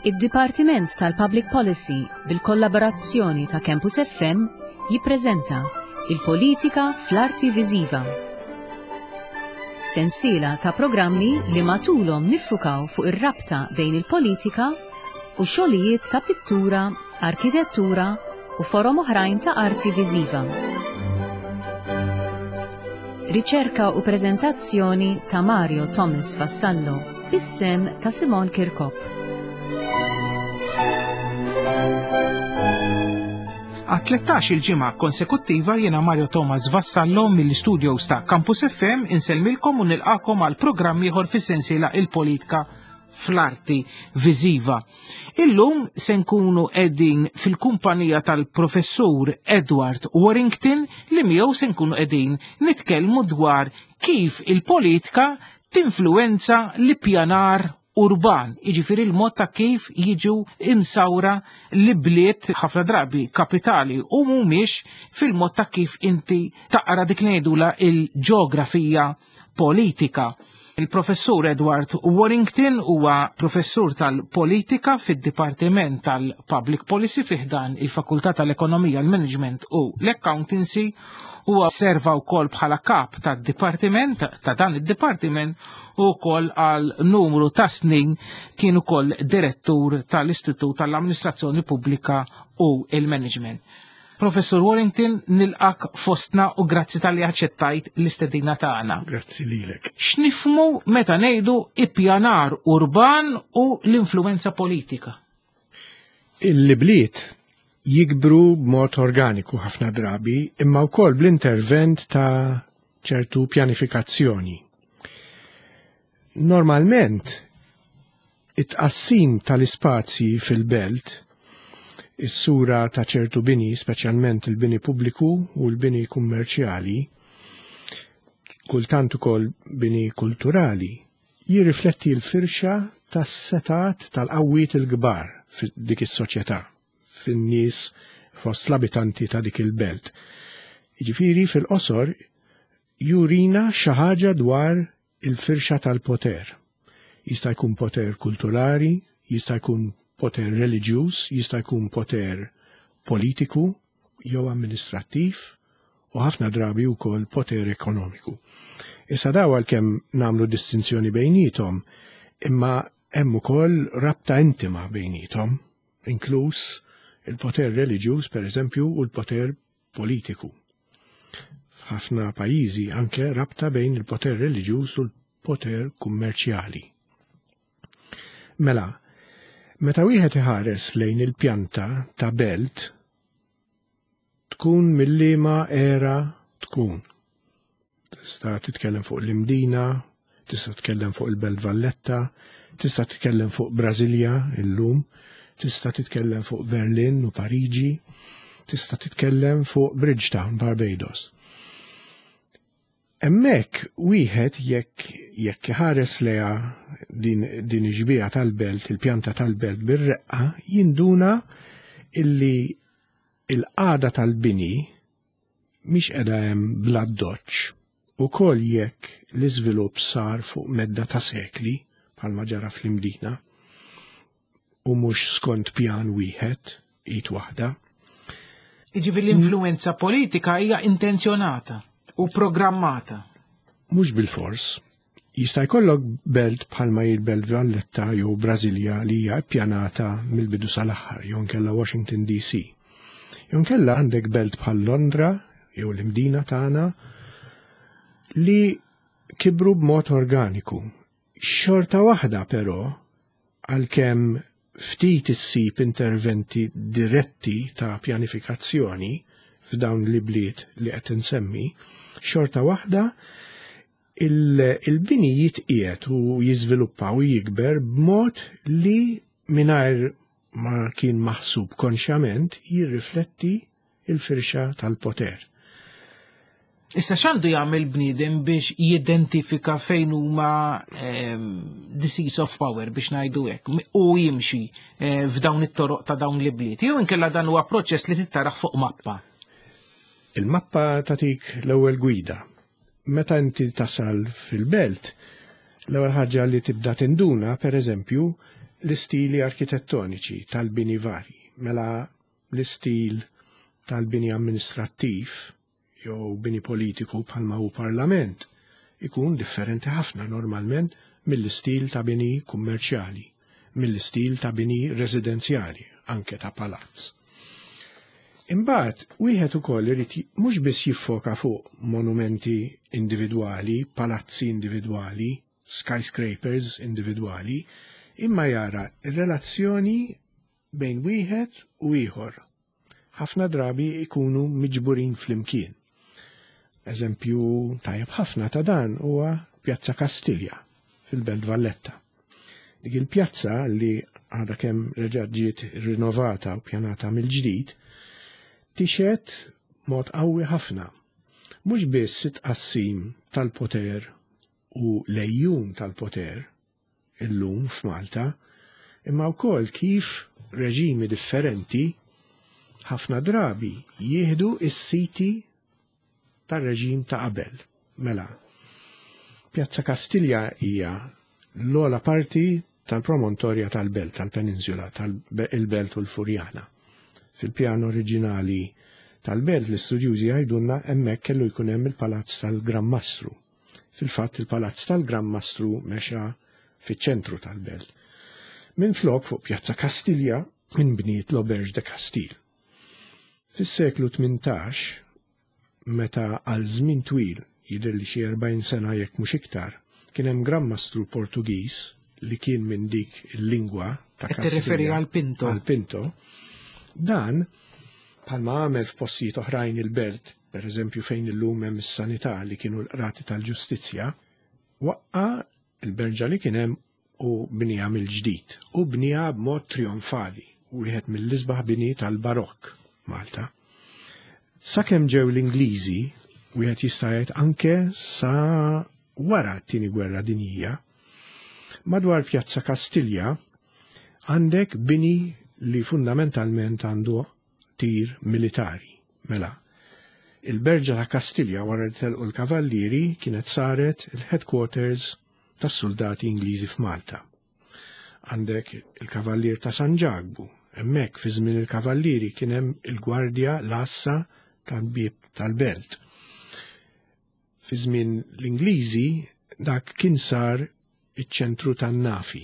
Id-Dipartiment tal-Public Policy bil-kollaborazzjoni ta' Campus FM jippreżenta Il-Politika fl-Arti Viżiva. Sensiela ta' programmi li matulhom niffukaw fuq ir-rabta bejn il-politika u xogħlijiet ta' pittura, arkitettura u forom oħrajn ta' arti viżiva. Riċerka u preżentazzjoni ta' Mario Thomas Vassallo bis-sem ta' Simon Kirkop. Għat-13 il-ġimgħa konsekuttiva jiena Mario Thomas Vassallo mill-studios ta' Campus FM insellmilkom u nilqakom għal programm ieħor fis-sensiela il-politika fl-arti viżiva. Illum se nkunu qegħdin fil-kumpanija tal-professur Edward Warrington li miegħu se nkunu qegħdin nitkellmu dwar kif il-politika tinfluwenza l-ippjanar urban, jiġifieri l-mod ta' kif jiġu imsawra l-bliet ħafna drabi kapitali u mhumiex fil-mod ta' kif inti taqra dik li ngħidula il-ġeografija politika. Il-professur Edward Warrington huwa professur tal-politika fid-Dipartiment tal-Public Policy fiħdan il-Fakultà tal-Ekonomija, l-Management u l-Accountancy huwa serva wkoll bħala kap tad-dipartiment ta' dan id-dipartiment u wkoll għal numru ta' snin kien ukoll direttur tal-Istitut tal-Amministrazzjoni Pubblika u il-Management. Professur Warrington, nilqak fostna u grazzi tal-li aċċettajt l-istedina tagħna. Grazzi lilek. X'nifmu meta ngħidu ippjanar urban u l-influenza politika? Il-bliet jikbru b'mod organiku ħafna drabi, imma wkoll bl-intervent ta' ċertu pjanifikazzjoni. Normalment, it-tqassim tal-ispazji fil-belt, is-sura ta' ċertu bini, speċjalment il-bini pubbliku u l-bini kummerċjali, kultant ukoll bini kulturali, jirrifletti l-firxa tas-setat tal-qawwiet il-kbar dik is-soċjetà, fin-nies fost l-abitanti ta' dik il-belt. Jiġifieri fil-qosor jurina xi ħaġa dwar il-firxa tal-poter. Jista' jkun poter kulturali, jista' jkun poter reliġjuż, jista' jkun poter politiku jew amministrattiv u ħafna drabi wkoll poter ekonomiku. Issa daw għalkemm nagħmlu distinzjoni bejnietom, imma hemm ukoll rabta intima bejnietom, inkluż il-poter reliġjuż pereżempju u l-poter politiku. F'ħafna pajjiżi anke rabta bejn il-poter reliġjuż u l-poter kummerċjali. Mela, meta wieħed iħares lejn il-pjanta ta' belt, tkun mill-liema era tkun. Tista' titkellem fuq l-Imdina, tista' titkellem fuq il-Belt Valletta, tista' titkellem fuq Brasilia illum, tista' titkellem fuq Berlin u Pariġi, tista' titkellem fuq Bridgetown, Barbados. Hemmhekk wieħed jekk jekk iħares leha din, din ix-xbieha tal-belt, il-pjanta tal-belt bir-reqqa, jinduna illi il-qagħda tal-bini mhix qiegħda hemm bl-addoċċ, ukoll jekk l-iżvilupp sar fuq medda ta' sekli bħalma ġara fl-Imdina u mhux skont pjan wieħed, id waħda. Jiġifieri l-influenza politika hija intenzjonata u programmata. Mhux bilfors. Jista' jkollok belt bħalma hi l-Belt Valletta jew Brasilia li hija ppjanata mill-bidu sal-aħħar jew inkella Washington DC. Jew inkella għandek belt bħal Londra jew l-Imdina tagħna li kibru b'mod organiku. Xorta waħda però għalkemm ftit issib interventi diretti ta' pjanifikazzjoni f'dawn l-ibliet li qed insemmi, xorta waħda il-bini jitqiegħed u jiżviluppa u jikber b'mod li mingħajr ma kien maħsub konxjament jirrifletti il-firxa tal-poter. Issa x'għandu jagħmel bniedem biex jidentifika fejn huma ehm, the seats of power biex ngħidu hekk u jimxi eh, f'dawn it-toroq ta' dawn l-ibliet. Jew inkella dan huwa proċess li tittaraħ fuq mappa. Il-mappa tatik l-ewwel gwida. Meta inti tasal fil-belt, l-ewwel ħaġa li tibda tinduna, per eżempju, L-istili arkitettoniċi tal-bini vari, mela l-istil tal-bini amministrattiv jew bini politiku bħalma hu parlament ikun differenti ħafna normalment mill-istil ta' bini kummerċjali, mill-istil ta' bini residenzjali, anke ta' palazz. Imbagħad wieħed ukoll irid mhux biss jiffoka fuq monumenti individwali, palazzi individwali, skyscrapers individwali, imma jara r-relazzjoni bejn wieħed u ieħor. Ħafna drabi ikunu miġburin flimkien. Eżempju tajjeb ħafna ta' dan huwa Pjazza Kastilja fil-Belt Valletta. Dik il-pjazza li għadha kemm reġgħet ġiet rinnovata u pjanata mill-ġdid, tixhed mod qawwi ħafna. Mhux biss it-tqassim tal-poter u l-għejjun tal-poter illum f'Malta, imma wkoll kif reġimi differenti ħafna drabi jieħdu s-siti tar-reġim ta' qabel. Mela, Pjazza Kastilja hija l-ogħla parti tal-promontorja tal-belt, tal-peninsula, tal-belt u l-Furjana. Fil-pjan oriġinali tal-belt l-istudjużi jgħidulna hemmhekk kellu jkun hemm il-palazz tal-Gran Mastru. Fil-fatt il-palazz tal-Gran Mastru mexa fiċ-ċentru tal-belt. Minflok fuq Pjazza Kastilja inbniet l-Auberge de Castille. Fis-seklu 18, meta għal żmien twil, jidher li xi 40 sena jekk mhux iktar, kien hemm Gran Mastru Portugiż li kien minn dik il-lingwa ta' Qed tirreferi għal Pinto. Għal Pinto. Dan, bħalma għamel f'postijiet oħrajn il-belt, per eżempju fejn illum hemm is-sanità li kienu l-qrati tal-ġustizzja, waqqa' l-berġa li kien hemm u bniha mill-ġdid u bniha b'mod trionfali, wieħed mill-isbaħ bini tal-Barokk Malta. Sakemm ġew l-Ingliżi, wieħed jista' jgħid anke sa wara t-Tieni Gwerra Dinjija, madwar Pjazza Kastilja għandek bini li fundamentalment għandu tir militari. Mela, il-Berġa ta' Kastilja wara li telqu l-Kavallieri kienet saret il-headquarters tas-suldati Ingliżi f'Malta. Għandek il-Kavallier ta' San Ġakbu, hemmhekk fi żmien il-Kavallieri kien hemm il-gwardja l-għassa tal-bieb tal-belt. Fi żmien l-Ingliżi dak kien sar iċ-ċentru tan-nafi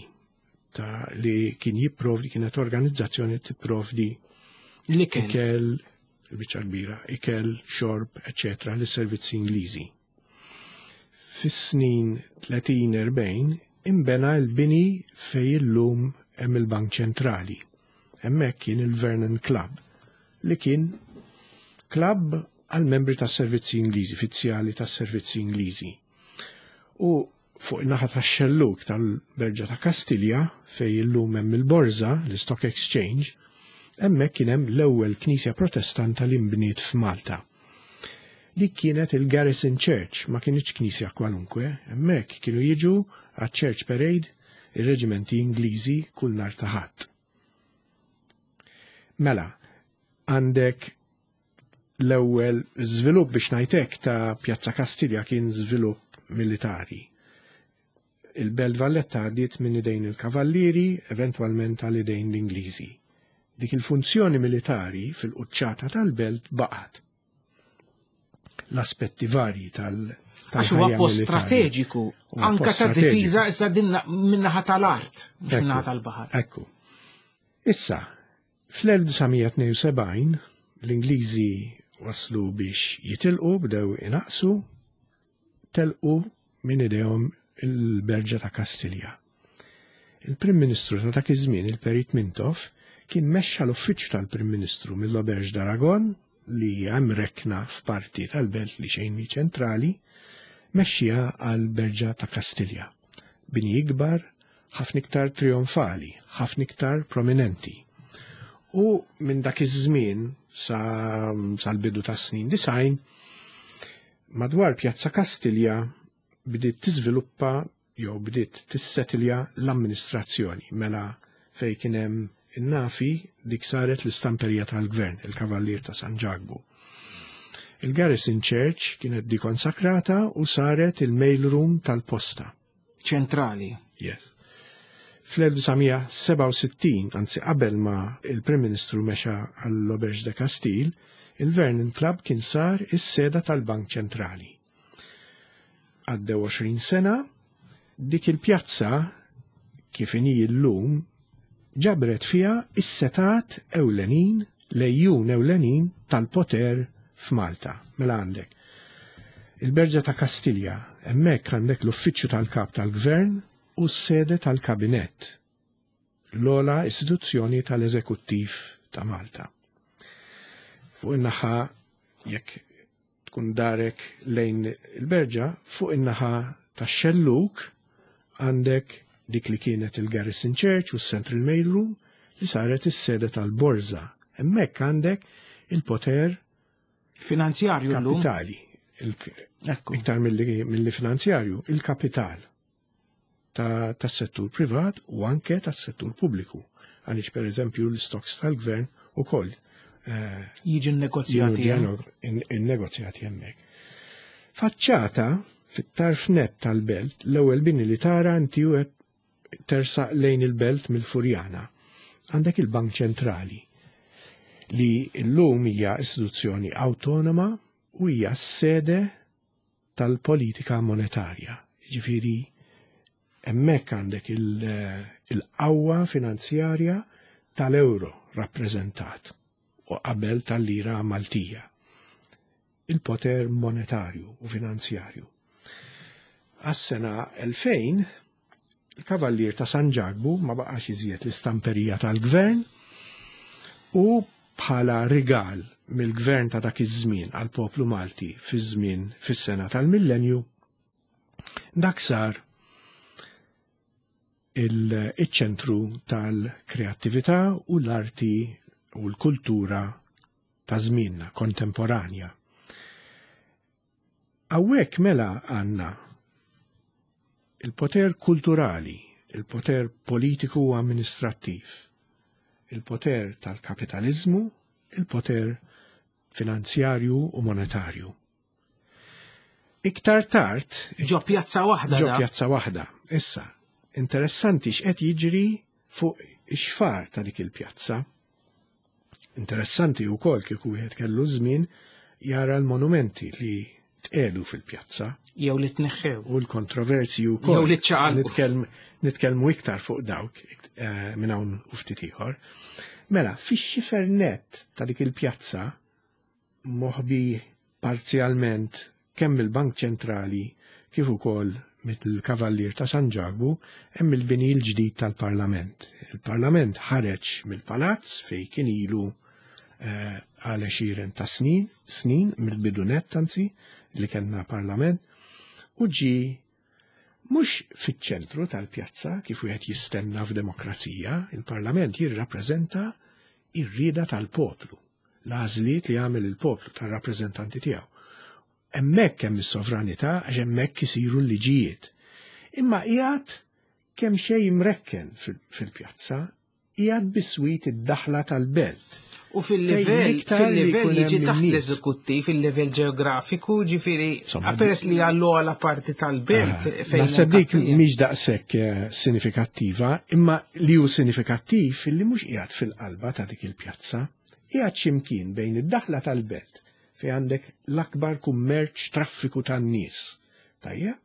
ta' li kien jipprovdi kienet organizzazzjoni tipprovdi l-ikel, ikel biċċa kbira, ikel, xorb, eċetera, lis-servizzi Ingliżi. Fis-snin 30-40 imbena l-bini fej illum hemm il-Bank Ċentrali. Hemmhekk kien il-Vernon Club li kien club għal membri tas-servizzi Ingliżi, fizzjali tas-servizzi Ingliżi. U fuq in-naħa tax-xellug tal-Berġa ta' Kastilja fej illum hemm il-Borża, l-Stock Exchange, hemmhekk kien hemm l-ewwel knisja Protestanta li nbniet f'Malta. Dik kienet il-Garrison Church, ma kinitx knisja kwalunkwe, hemmhekk kienu jiġu għaċ-Church Parade ir-reġimenti Ingliżi kull nhar ta' Ħadd. Mela, għandek l-ewwel żvilupp biex ngħid hekk ta' Pjazza Kastilja kien żvilupp militari. Il-Belt Valletta għaddiet minn idejn il-Kavallieri, eventwalment għal idejn l-Ingliżi. Dik il-funzjoni militari fil-quċċata tal-belt baqgħet. L-aspetti varji tal- Għax huwa post strateġiku, anka ta' difiża issa din minnaħa tal-art, mhux minnaħa tal-baħar. Ekku. Issa, fl-1972 l-Ingliżi waslu biex jitilqu, bdew inaqsu, telqu minn idejhom il-Berġa ta' Kastilja. Il-Prim Ministru ta' dak iż-żmien, il-Perit Mintoff, kien mexxa l-uffiċċju tal-Prim Ministru mill-Auberge d'Aragon li hija mrekkna f'parti tal-belt li xejn mhi ċentrali, mexxiha għal Berġa ta' Kastilja. Bini ikbar, ħafna iktar trionfali, ħafna iktar prominenti. U minn dak iż-żmien sa sal-bidu tas-snin 90, madwar Pjazza Kastilja bdiet tiżviluppa jew bdiet tissetilja l-amministrazzjoni mela fej kien hemm in-nafi dik saret l-istamperija tal-gvern, il-Kavallier ta' San Ġakbu. Il-Garrison Church kienet dikonsakrata u saret il-mail room tal-posta. Ċentrali. Yes. Fl-1967, anzi qabel ma il-Prim Ministru mexa għall-Auberge de Castille, il-Vernon Club kien sar is-seda tal-Bank Ċentrali. Għaddew 20 sena, dik il-pjazza kif inhi llum ġabret fiha is-setat ewlenin, lejjun ewlenin tal-poter f'Malta. Mela għandek il-Berġa ta' Kastilja, hemmhekk għandek l-uffiċċju tal-kap tal-gvern u s-sede tal-kabinett, l-ogħla istituzzjoni tal-eżekuttiv ta' Malta. Fuq in-naħa jekk tkun darek lejn il-berġa, fuq in-naħa tax-xellug għandek dik li kienet il-Garrison Church u s-Central Mail Room li saret is-sede tal-Borża. Hemmhekk għandek il-poter finanzjarju kapitali. Iktar milli finanzjarju, il-kapital tas-settur privat u anke tas-settur pubbliku. Għaliex per eżempju l-stocks tal-gvern ukoll jiġu negozjati. Innegozjati hemmhekk. Faċċata fit-tarf net tal-belt, l-ewwel bini li tara inti u tersaq lejn il-belt mill-Furjana. Għandek il-Bank Ċentrali li llum hija istituzzjoni awtonoma u hija s-sede tal-politika monetarja. Ġifieri hemmhekk għandek il-qawwa finanzjarja tal-euro rappreżentat u qabel tal-lira Maltija. Il-poter monetarju u finanzjarju. Għas-sena 2000, il-Kavallier ta' San Ġakbu ma baqax iżjed l-istamperija tal-gvern u bħala rigal mill-gvern ta' dak iż-żmien għal poplu Malti fiż-żmien fis-sena tal-millenju, dak sar il-ċentru tal-kreattività u l-arti u l-kultura ta' żmienna kontemporanja. Hawnhekk mela għandna il-poter kulturali, il-poter politiku u amministrattiv, il-poter tal-kapitalizmu, il-poter finanzjarju u monetarju. Iktar tard ġo pjazza waħda. Ġo pjazza waħda. Issa, interessanti x'qed jiġri fuq ix-xfar ta' dik il-pjazza. Interessanti wkoll kieku wieħed kellu żmien jara l-monumenti li tqelu fil-pjazza. Jew li tneħħew. U l-kontroversi wkoll. Jew li ċaqalqu. Nitkellmu iktar fuq dawk minn hawn u ftit ieħor. Mela, fix-xifer net ta' dik il-pjazza moħbi parzjalment kemm il-Bank Ċentrali kif ukoll mill-Kavallier ta' San Ġakbu hemm il-bini l-ġdid tal-Parlament. Il-Parlament ħareġ mill-palazz fej kien ilu għal għexieren ta' snin, snin mill-bidu nett anzi li kellna Parlament, u ġi mhux fiċ-ċentru tal-pjazza kif wieħed jistenna f'demokrazija, il-Parlament jirrappreżenta ir-rieda tal-poplu, l-għażliet li jagħmel il-poplu tar-rappreżentanti tiegħu. Hemmhekk hemm is-sovranità għax hemmhekk isiru l-liġijiet. Imma qiegħed kemm xejn imrekken fil-pjazza, qiegħed biswit id-daħla tal-belt. U fil-livell fil-livell jiġi taħt l-eżekuttiv, fil-livell ġeografiku, ġifieri peress li għallu għala parti tal-belt. Naħseb dik mhix daqshekk sinifikattiva, imma li hu sinifikattiv illi mhux qiegħed fil-qalba ta' dik il-pjazza, qiegħed x'imkien bejn id-daħla tal-belt fejn għandek l-akbar kummerċ traffiku tan-nies, tajjeb,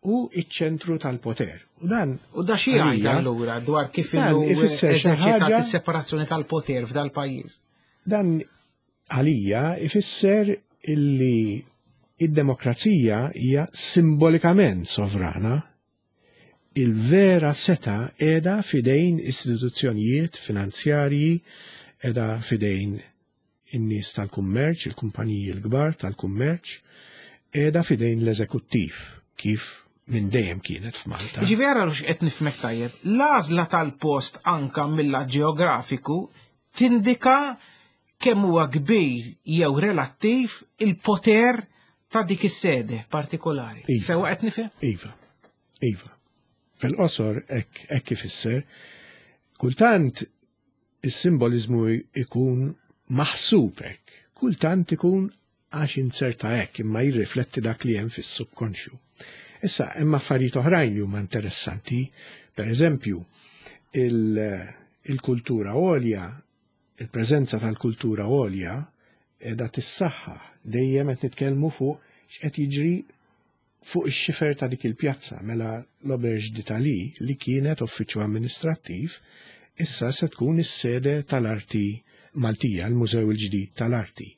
u iċ-ċentru tal-poter. U dan U da xi jgħid allura dwar kif ifisser xi eżerċitat is-separazzjoni tal-poter f'dal-pajjiż? Dan għalija ifisser illi id-demokrazija hija simbolikament sovrana. Il-vera seta qiegħda fidejn istituzzjonijiet finanzjarji, qiegħda fidejn in-nies tal-kummerċ, il-kumpaniji l-kbar tal-kummerċ, qiegħda fidejn l-eżekuttiv, kif minn dejjem kienet f'Malta. Ġifieri ara x'qed nifhmek tajjeb, l-għażla tal-post anka mill-lat ġeografiku tindika kemm huwa kbir jew relattiv il-poter ta' dik is-sede partikolari. Iva. Sewa qed nifhem? Iva. Iva. Fil-qosor hekk ifisser. Kultant is-simbolizmu ikun maħsub hekk, kultant ikun għax inzerta hekk imma jirrifletti dak li hemm fis-subkonxju. Issa hemm affarijiet oħrajn li huma interessanti, per eżempju, Il-kultura għolja, il-preżenza tal-kultura għolja qiegħda tissaħħaħ dejjem qed nitkellmu fuq x'qed jiġri fuq ix-xifer ta' dik il-pjazza mela l-Auberge d'Italie li kienet uffiċċju amministrattiv issa se tkun is-sede tal-arti Maltija, l-Mużew il-ġdid tal-Arti.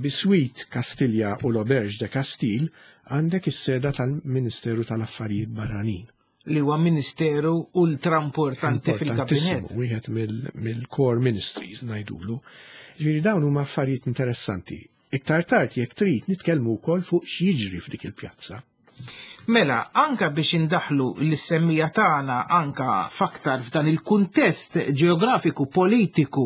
Biswit Kastilja u l-Auberge de Castille għandek is-seda tal-Ministeru tal-Affarijiet Barranin. Li huwa ministeru ultra importanti fil-kabinett. Wieħed mill-core ministries ngħidulu. Ġifieri dawn huma affarijiet interessanti. Iktar tard jekk trid nitkellmu wkoll fuq x'jiġri f'dik il-pjazza. Mela, anka biex indaħlu l-semmija tagħna anka faktar f'dan il-kuntest ġeografiku politiku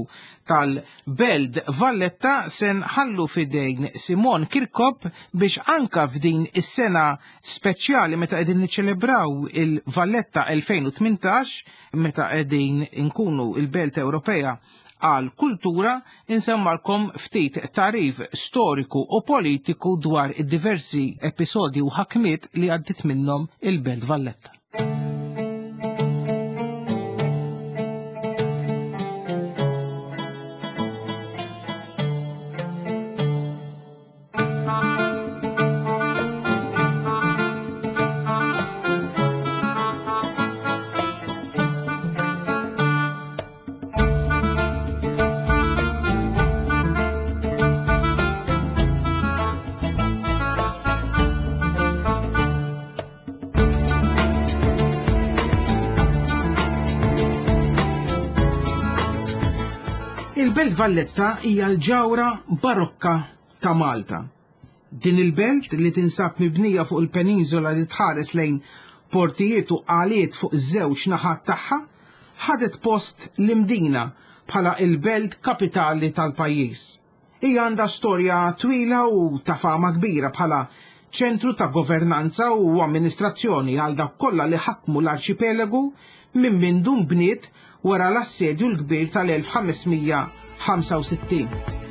tal-Belt Valletta se nħallu fidejn Simon Kirkop biex anka f'din is-sena speċjali meta qegħdin niċċelebraw il-Valletta 2018 meta qegħdin inkunu il-Belt Ewropea għal kultura insemmalkom ftit tarif storiku u politiku dwar id-diversi episodji u ħakmiet li għaddit minnhom il-Belt Valletta. Il-Belt Valletta hija l-ġawra barokka ta' Malta. Din il-belt li tinsab mibnija fuq il-peniżola li tħares lejn portijiet u qaliet fuq iż-żewġ naħat tagħha, ħadet post l-Imdina bħala il-belt kapitali tal-pajjiż. Hija għandha storja twila u ta' fama kbira bħala ċentru ta' governanza u amministrazzjoni għal dawk kollha li ħakmu l-arċipelagu minn mindu nbniet wara l-assedju l-kbir tal-1565.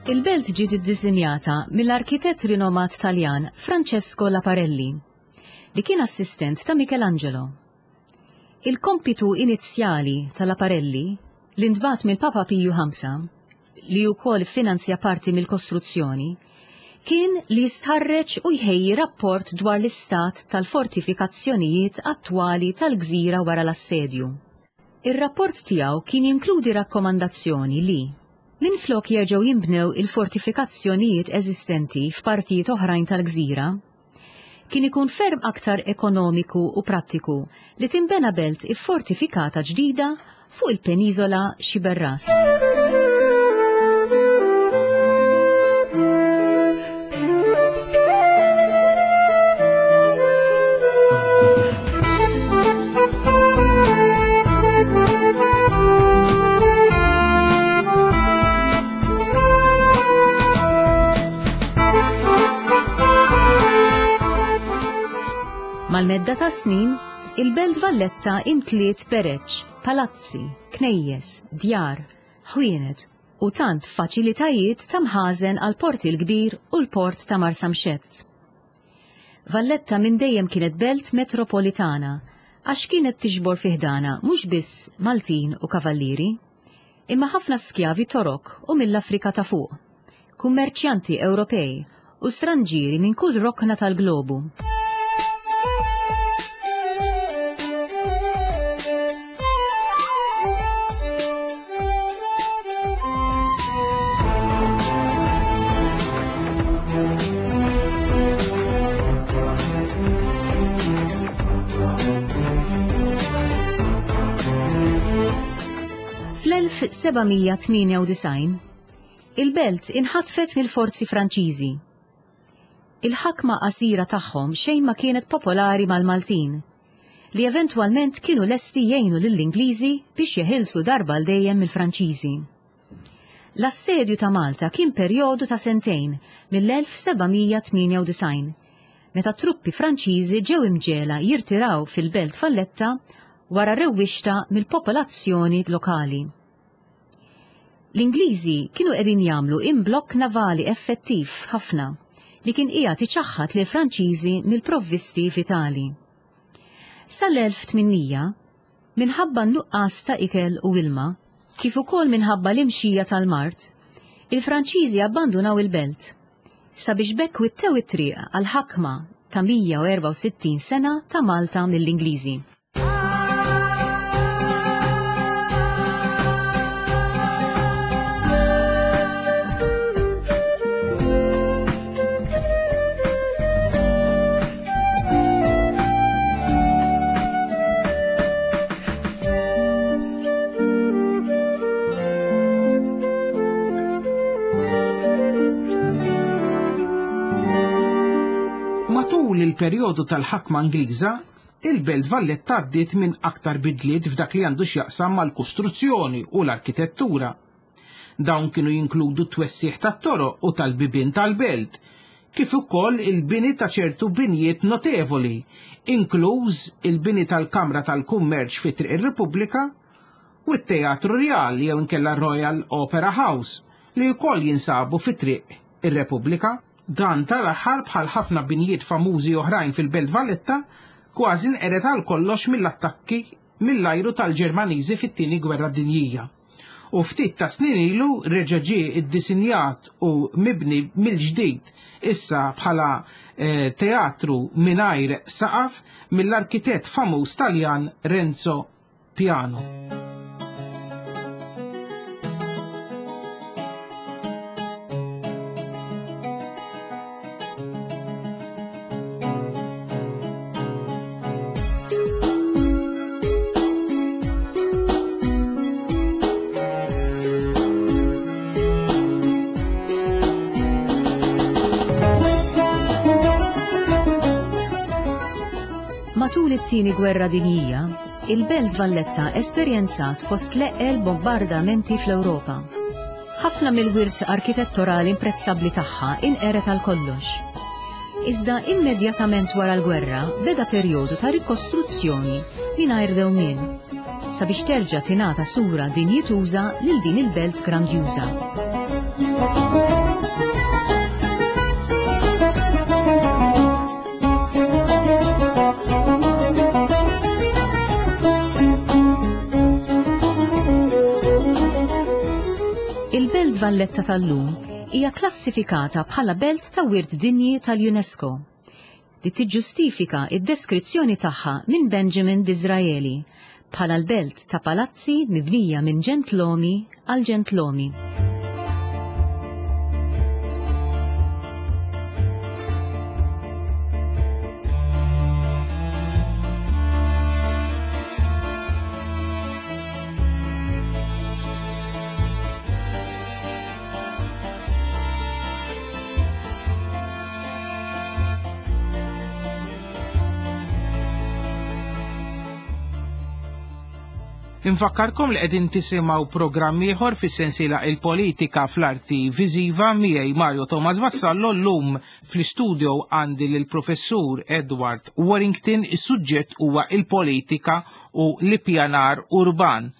Il-belt ġiet iddisinjata mill-arkitett rinomat Taljan Francesco Laparelli, li kien assistent ta' Michelangelo. Il-kompitu inizjali ta' Laparelli, li ntbagħat mill-Papa Piju V, li wkoll iffinanzja parti mill-kostruzzjoni, kien li jistħarreġ u jħejji rapport dwar l-istat tal-fortifikazzjonijiet attwali tal-gżira wara l-assedju. Ir-rapport tiegħu kien jinkludi rakkomandazzjoni li, minflok jerġgħu jinbnew il-fortifikazzjonijiet eżistenti f'partijiet oħrajn tal-gżira, Kien ikun ferm aktar ekonomiku u prattiku li tinbena belt iffortifikata ġdida fuq il-peniżola Xiberras. Mal-medda ta' snin, il-Belt Valletta imtliet bereġ, palazzi, knejjes, djar, ħwienet u tant faċilitajiet ta' mħażen għal Port il-Kbir u l-Port ta' Marsamxett. Valletta minn dejjem kienet belt metropolitana għax kienet tiġbor fi ħdanha mhux biss Maltin u Kavallieri, imma ħafna skjavi Torok u mill-Afrika ta' Fuq, kummerċjanti Ewropej u stranġieri minn kull rokna tal-globu. Fl-1798, il-belt inħatfet mill-forzi Franċiżi. Il-ħakma qasira tagħhom xejn ma kienet popolari mal-Maltin, li eventwalment kienu lesti jgħinu lill-Ingliżi biex jeħilsu darba għal dejjem mill-Franċiżi. L-assedju ta' Malta kien perjodu ta' sentejn mill-1798, meta truppi Franċiżi ġew imġegħla jirtiraw fil-Belt Valletta wara rewwixta mill-popolazzjoni lokali. L-Ingliżi kienu qegħdin jagħmlu imblokk navali effettiv ħafna li kien qiegħed iċaħħad lill-Franċiżi mill-provvisti vitali. Sal-1800, minħabba n-nuqqas ta' ikel u ilma, kif ukoll minħabba l-imxija tal-mard, il-Franċiżi abbandunaw il-belt, sabiex b'hekk wittew it-triq għall-ħakma ta' 164 sena ta' Malta mill-Ingliżi. Matul il-perjodu tal-ħakma Ingliża, il-Belt Valletta għaddiet minn aktar bidliet f'dak li għandu x'jaqsam mal-kostruzzjoni u l-arkitettura. Dawn kienu jinkludu t-twessigħ tat-toroq u tal-bibien tal-belt, kif ukoll il-bini ta' ċertu binjiet notevoli, inkluż il-bini tal-Kamra tal-Kummerċ fi Triq ir-Repubblika u t-Teatru Rjal jew inkella Royal Opera House li wkoll jinsabu fi Triq ir-Repubblika. Dan tal-aħħar bħal ħafna binjiet famużi oħrajn fil-Belt Valletta kważi nqered għal kollox mill-attakki mill-ajru tal-Ġermaniżi fit-Tieni Gwerra Dinjija. U ftit ta' snin ilu reġa' ġie ddisinjat u mibni mill-ġdid issa bħala eh, teatru mingħajr saqaf mill-arkitett famuż Taljan Renzo Piano. Matul it-Tieni Gwerra Dinjija, il-Belt Valletta esperjenzat fost l-eqqel bombardamenti fl-Ewropa. Ħafna mill-wirt arkitettorali imprezzabbli tagħha inqered għal kollox. Iżda immedjatament wara l-gwerra beda perjodu ta' rikostruzzjoni mingħajr dewmien, sabiex terġa' tingħata sura dinjituża lil din il-belt grandjuża. Il-Belt Valletta tal-lum hija klassifikata bħala Belt ta' Wirt Dinji tal-UNESCO, li tiġġustifika d-deskrizzjoni tagħha minn Benjamin Disraeli bħala l-belt ta' palazzi mibnija minn ġentlomi għal ġentlomi. Infakkarkom li qegħdin tisimgħu programm ieħor fis-sensiela Il-Politika fl-Arti Viżiva miegħi Mario Thomas Vassallo llum fl-istudio għandi lill-Professur Edward Warrington is-suġġett huwa il-politika u l-ippjanar urban.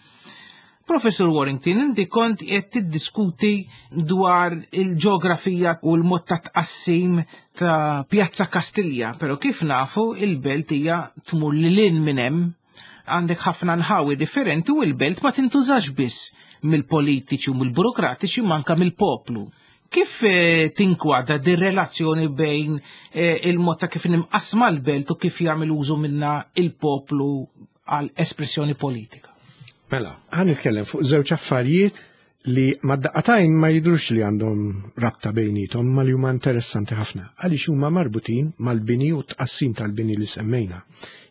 Professur Warrington, inti kont qed tiddiskuti dwar il-ġeografija u l-mod ta' tqassim ta' Pjazza Kastilja, però kif nafu il-belt hija tmur lil hinn minn hemm. Għandek ħafna nħawi differenti u l-belt ma tintużax biss mill-politiċi u mill-burokratiċi manka mill-poplu. Kif eh, tinkwadra din relazzjoni bejn eh, il-mod ta' kif nimqasma l-belt u kif jagħmel użu minna il-poplu għal espressjoni politika? Mela, ħan nitkellem fuq żewġ affarijiet li mad-daqqatajn ma jidrux li għandhom rabta bejnietom ma li huma interessanti ħafna għaliex huma marbutin mal-bini u tqassim tal-bini li semmejna.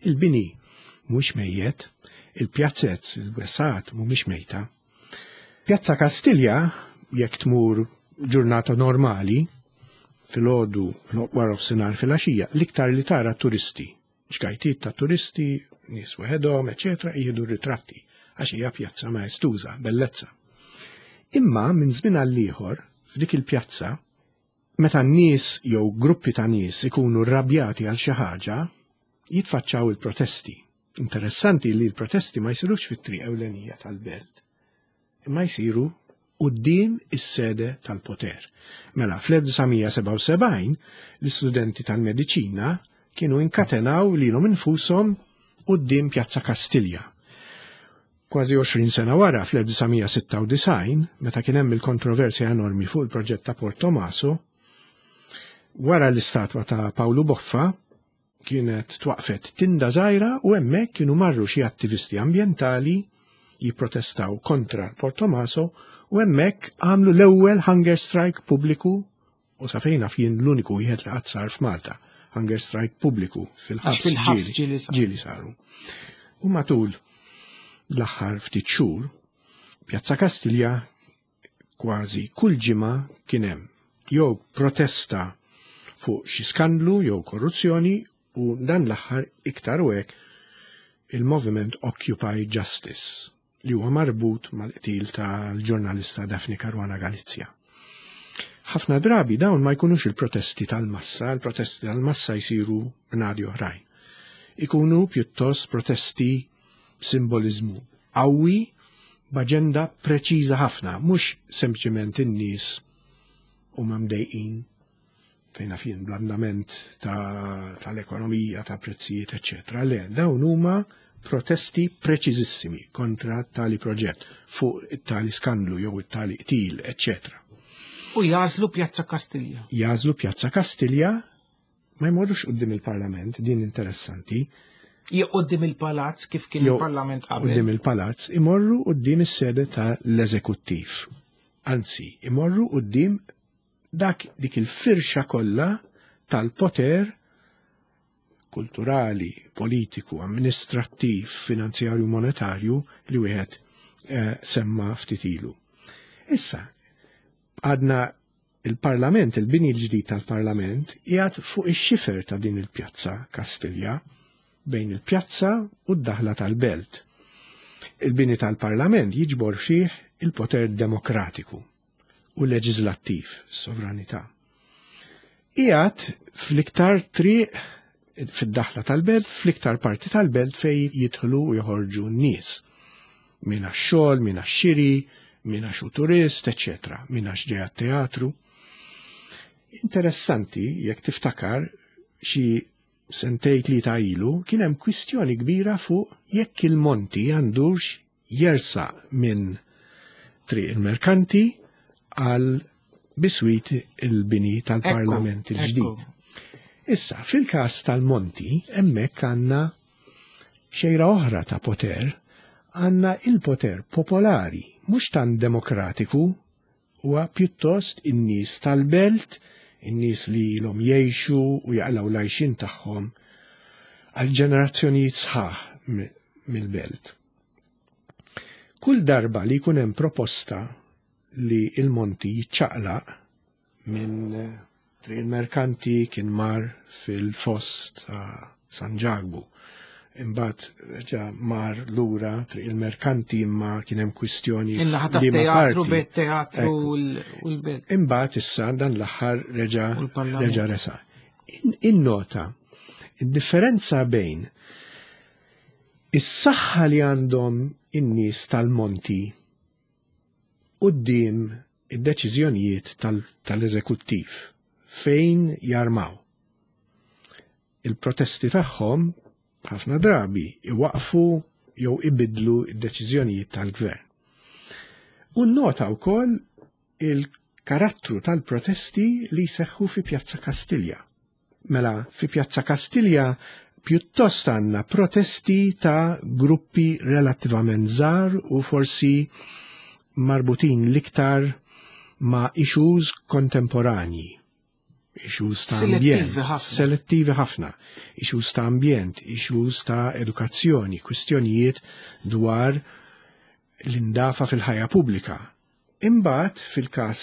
Il-bini mhux mejjet, il-pjazzezz, il-wesat mhumiex mejta. Pjazza Kastilja, jekk tmur ġurnata normali, filgħodu, wara f'sinar filgħaxija, l-iktar li tara turisti ġgajtiet ta' turisti, nies waħedhom, eċetera, jieħdu ritratti għax hija pjazza maestuża, bellezza. Imma minn żmien għal ieħor f'dik il-pjazza, meta n-nies jew gruppi ta' nies ikunu rrabjati għal xi ħaġa, jitfaċċaw il-protesti. Interessanti li l-protesti ma jsirux fit-triq ewlenija tal-belt, imma jsiru quddiem is-sede tal-poter. Mela, fl-1977 l-istudenti tal-mediċina kienu inkatenaw lilhom infushom quddiem Pjazza Kastilja. Kważi 20 sena wara, fl-1996, meta kien hemm il-kontroversja enormi fuq il-proġett ta' Port Tomaso, wara l-istatwa ta' Pawlu Boffa kienet twaqfet tinda żgħira u hemmhekk kienu marru xi attivisti ambjentali jipprotestaw kontra Port Tomaso u hemmhekk għamlu l-ewwel hunger strike pubbliku u sa fejn naf jien l-uniku wieħed li qatt sar f'Malta, hunger strike pubbliku fil-ħabs ġieli saru. U matul l-aħħar ftit xhur, Pjazza Kastilja kważi kull ġimgħa kien hemm jew protesta fuq xi skandlu jew korruzzjoni u dan l-aħħar iktar u hekk il-moviment Occupy Justice li huwa marbut mal-qtil tal-ġurnalista Daphne Caruana Galizia. Ħafna drabi dawn ma jkunux il-protesti tal-massa, il-protesti tal-massa jsiru b'nadi oħrajn. Ikunu pjuttost protesti b'simbolizmu qawwi b'aġenda preċiża ħafna, mhux sempliċement in-nies huma mdejqin fejn naf jien bl-andament tal-ekonomija, ta' prezzijiet, eċċetera. Le, dawn huma protesti preċiżissimi kontra tali proġett fuq it-tali skandlu jew it-tali qtil, eċċetera. U jażlu Pjazza Kastilja. Jażlu Pjazza Kastilja ma jmorrux quddiem il-Parlament, din interessanti. Jew quddiem il-Palazz kif kien il-Parlament qabel. Quddiem il-Palazz imorru quddiem is-sede tal-Eżekuttiv. Anzi, imorru quddiem dak dik il-firxa kollha tal-poter kulturali, politiku, amministrattiv, finanzjarju, monetarju li wieħed eh, semma ftit ilu. Issa, għadna il-Parlament, il-bini l-ġdid tal-Parlament, qiegħed fuq ix-xifer ta' din il-pjazza Kastilja, bejn il-pjazza u d-daħla tal-belt. Il-bini tal-Parlament jiġbor fih il-poter demokratiku u leġislattiv, sovranità. Qiegħed fl-iktar triq fid-daħla tal-belt, fl-iktar parti tal-belt fej jidħlu u joħorġu n-nies. Min għax-xogħol, min għax-xiri, min għax hu turist, eċċetera, min għax ġej għat-teatru. Interessanti, jekk tiftakar, xi sentej tlieta ilu kien hemm kwistjoni kbira fuq jekk il-Monti għandux jersaq minn Triq il-Merkanti għal biswit il-bini tal-Parlament il-ġdid. Issa, fil-każ tal-Monti, hemmhekk għandna xejra oħra ta' poter, għandna il-poter popolari, mhux tant demokratiku, huwa pjuttost in-nies tal-belt, in-nies li ilhom jgħixu u jaqilgħu l-għajxien tagħhom għal ġenerazzjonijiet sħaħ mill-belt. Kull darba li jkun hemm proposta li il-Monti jiċċaqlaq minn Triq il-Merkanti kien mar fil-foss ta' San Ġakbu. Imbagħad reġa' mar lura Triq il-Merkanti imma kien hemm kwistjoni. In-naħa tat-teatru bejn teatru u l-belt. Imbagħad issa dan l-aħħar reġa' reġa' resa. Innota id-differenza bejn is-saħħa li għandhom in-nies tal-Monti quddiem id-deċiżjonijiet tal-eżekuttiv fejn jarmaw. Il-protesti tagħhom ħafna drabi iwaqfu jew ibidlu d-deċiżjonijiet tal-gvern. U nota wkoll il-karattru tal-protesti li jseħħu fi Pjazza Kastilja. Mela, fi Pjazza Kastilja pjuttost għandna protesti ta' gruppi relattivament żgħar u forsi marbutin l-iktar ma' issues kontemporanji. Issues ta' ambjent. Selettivi ħafna. Issues ta' ambjent, issues ta' edukazzjoni, kwistjonijiet dwar l-indafa fil-ħajja pubblika. Imbagħad fil-każ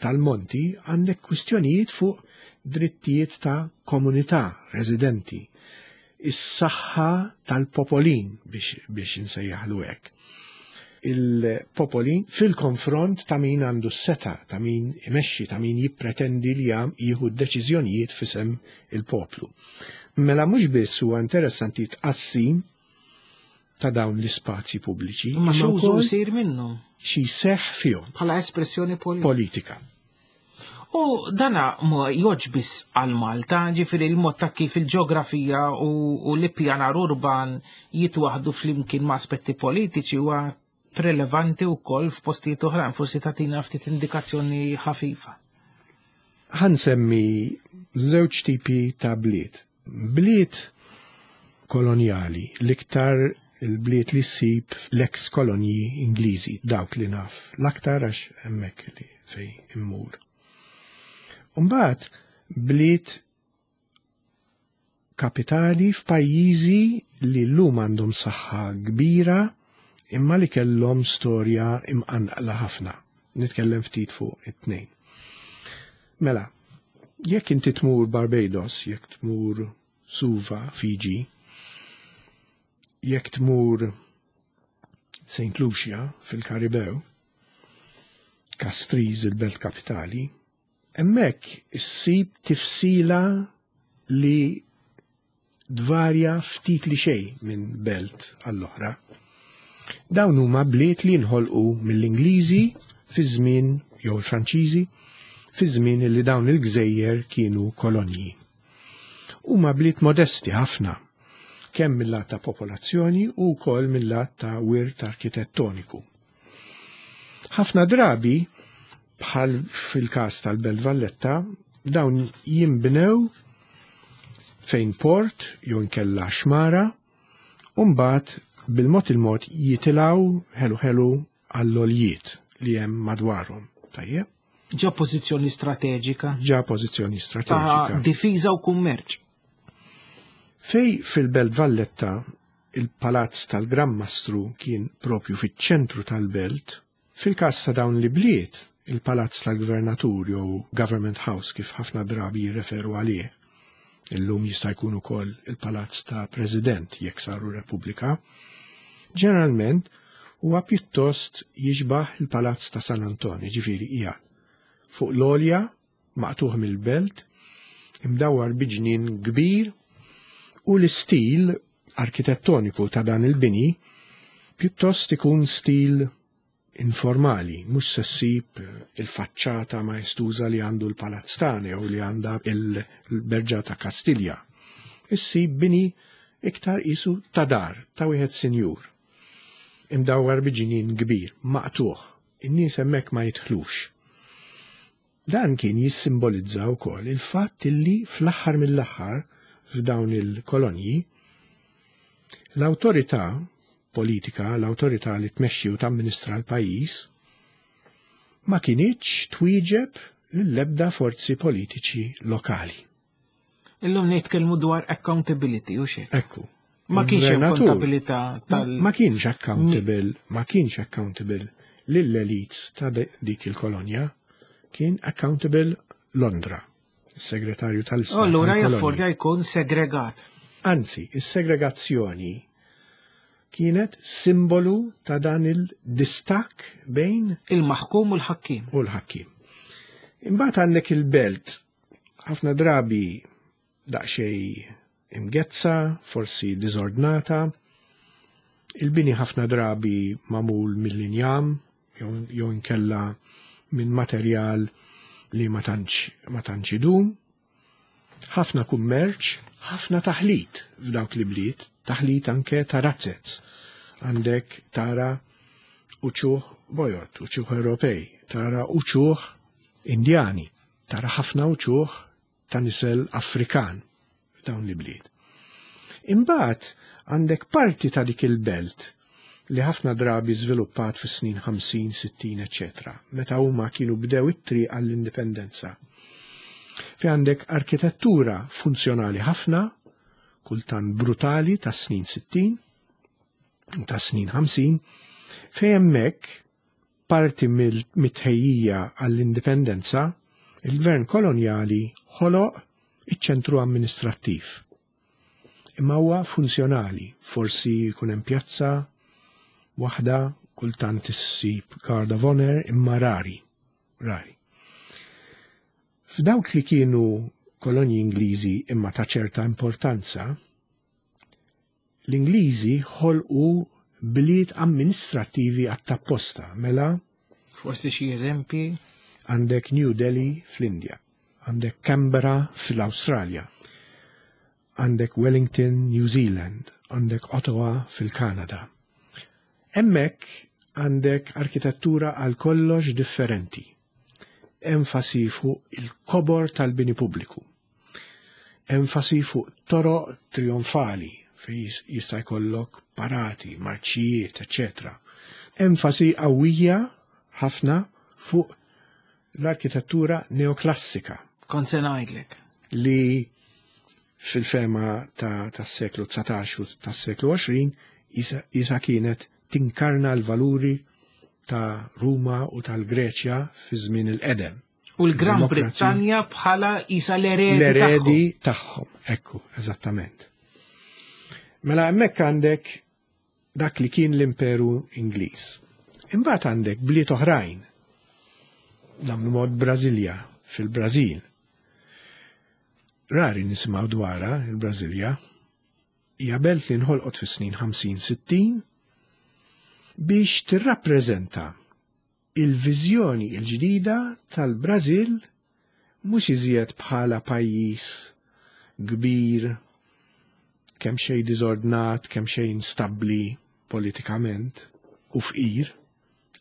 tal-Monti għandek kwistjonijiet fuq drittijiet ta' komunità residenti, is-saħħa tal-popolin biex, biex insejjaħlu hekk. il-popoli fil-konfront ta' min għandu s-seta, ta' min imexxi, ta' min jippretendi li jam jieħu d-deċiżjonijiet f'isem il-poplu. Mela mhux biss huwa interessanti tqassim ta' dawn l-ispazji pubbliċi. Imma x'użu jsir minnhom? Xi jseħħ fihom. Bħala espressjoni politika. Politika. U dana ma joġ biss għal Malta, ġifieri l-mod ta' kif il-ġeografija u, u l-ippjanar urban jitwaħdu flimkien ma' aspetti politiċi huwa prelevanti wkoll f'postijiet oħrajn, forsi tagħtina ftit indikazzjoni ħafifa. Ħansemmi żewġ tipi ta' bliet. Bliet kolonjali, l-iktar il-bliet li ssib l-ex kolonji Ingliżi, dawk li naf, l-aktar għax hemmhekk li fej immur. Umbagħad bliet kapitali f'pajjiżi li llum għandhom saħħa kbira imma li kellhom storja imqanqla ħafna. Nitkellem ftit fuq it-tnejn. Mela, jekk inti tmur Barbados, jekk tmur Suva, Fiji, jekk tmur St. Lucia fil-Karibew, Castries il-belt kapitali, hemmhekk issib tifsila li tvarja ftit li xejn minn belt għall-oħra. Dawn huma bliet li nħolqu mill-Ingliżi fi żmien jew il-Franċiżi fi żmien li dawn il-gżejjer kienu kolonji. Huma bliet modesti ħafna, kemm mill-lat ta' popolazzjoni u wkoll mill-lat ta' wirt arkitettoniku. Ħafna drabi, bħal fil-każ tal-Belt Valletta, dawn jinbnew fejn port jew inkella xmara u mbagħad bil-mod il-mod jitilgħu ħelu ħelu għall-oljiet li hemm madwarhom. Tajjeb? Ġa pożizzjoni strateġika. Ġa pożizzjoni strateġika. Ta' difiża u kummerċ. Fej fil-Belt Valletta il-palazz tal-Gran Mastru kien propju fiċ-ċentru tal-belt, fil-każ ta' dawn l-ibliet, il-palazz tal-gvernatur jew Government House kif ħafna drabi jirreferu għalih, illum jista' jkun ukoll il-palazz ta' president jekk saru repubblika, ġeneralment huwa pjuttost jixbah il-palazz ta' San Anton, jiġifieri qiegħed fuq l-għolja maqtugħ mill-belt, imdawwar bi ġnien kbir u l-istil arkitettoniku ta' dan il-bini pjuttost ikun stil informali, mhux se ssib il-faċċata maestuża li għandu l-Palazz tagħna jew li għandha il-Berġa ta' Kastilja. Issib bini iktar qisu ta' dar, ta' wieħed sinjur. Imdawwar bi ġnien kbir, maqtugħ. In-nies hemmhekk ma jidħlux. Dan kien jissimbolizza wkoll il-fatt illi fl-aħħar mill-aħħar f'dawn il-kolonji l-awtorità politika, l-awtorità li tmexxi u tamministra l-pajjiż, ma kinitx twieġeb lill-ebda forzi politiċi lokali. Illum nitkellmu dwar accountability u xejn. Ekku. Ma kienx hemm kontabilità tal. Ma kienx accountable, ma kienx accountable lill-elites ta' dik il-kolonja, kien accountable Londra, is-segretarju tal-Istat. Allura jaffordja jkun segregat. Anzi, is-segregazzjoni kienet simbolu ta' dan il-distakk bejn il-maħkum u l-ħakkim. U l-ħakkim. Imbagħad għandek il-belt ħafna drabi daqsxejn imgezza, forsi diżordnata. Il-bini ħafna drabi magħmul mill-injam jew inkella minn materjal li ma tantx ma tantx idum. Ħafna kummerċ, ħafna taħlit f'dawk li bliet, taħlit anke ta' razzez. Għandek tara uċuħ bojod, uċuħ Ewropej, tara uċuħ Indjani, tara ħafna uċuħ ta' nisel Afrikan f'dawn l-ibliet. Imbagħad għandek parti ta' dik il-belt li ħafna drabi żviluppat fis-snin 50, 60, eċetera, meta huma kienu bdew it-triq għall-indipendenza. Fi għandek arkitettura funzjonali ħafna, kultant brutali tas-snin 60, tas-snin 50, fejn hemmhekk parti mit-tħejjija għall-indipendenza, il-gvern kolonjali ħoloq iċ-ċentru amministrattiv. Imma huwa funzjonali, forsi jkun hemm pjazza waħda Kultant issib Guard of Honor imma rari, rari. F'dawk li kienu kolonji Ingliżi imma ta' ċerta importanza, l-Ingliżi ħolqu bliet amministrattivi għat-tapposta, mela Forsi xi eżempji? Għandek New Delhi fl-Indja, għandek Canberra fl-Awstralja, għandek Wellington, New Zealand, għandek Ottawa fil-Kanada. Hemmhekk għandek arkitettura għal kollox differenti. Enfasi fuq il-kobor tal-bini pubbliku. Enfasi fuq toroq trionfali fejn jista' jkollok parati, marċijiet, eċċetera. Enfasi qawwija ħafna fuq l-arkitettura neoklassika. Kont se ngħidlek. Li fil-fema tas-seklu 19 u tas-seklu 20 isa kienet tinkarna l-valuri ta' Ruma u tal-Greċja fi żmien il-qedem. U l-Gran Brittanja bħala isa l-eredi L-eredi tagħhom, ekku, eżattament. Mela hemmhekk għandek dak li kien l-Imperu Ingliż. Imbagħad għandek bliet oħrajn. Nagħmlu mod Brażilja fil-Brażil. Rari nisimgħu dwarha il-Brażilja. Hija belt li nħolqot fis-snin 50-60 biex tirrappreżenta il-viżjoni l-ġdida tal-Brażil mhux iżjed bħala pajjiż kbir, kemm xejn diżordnat, kemm xejn instabbli politikament u fqir,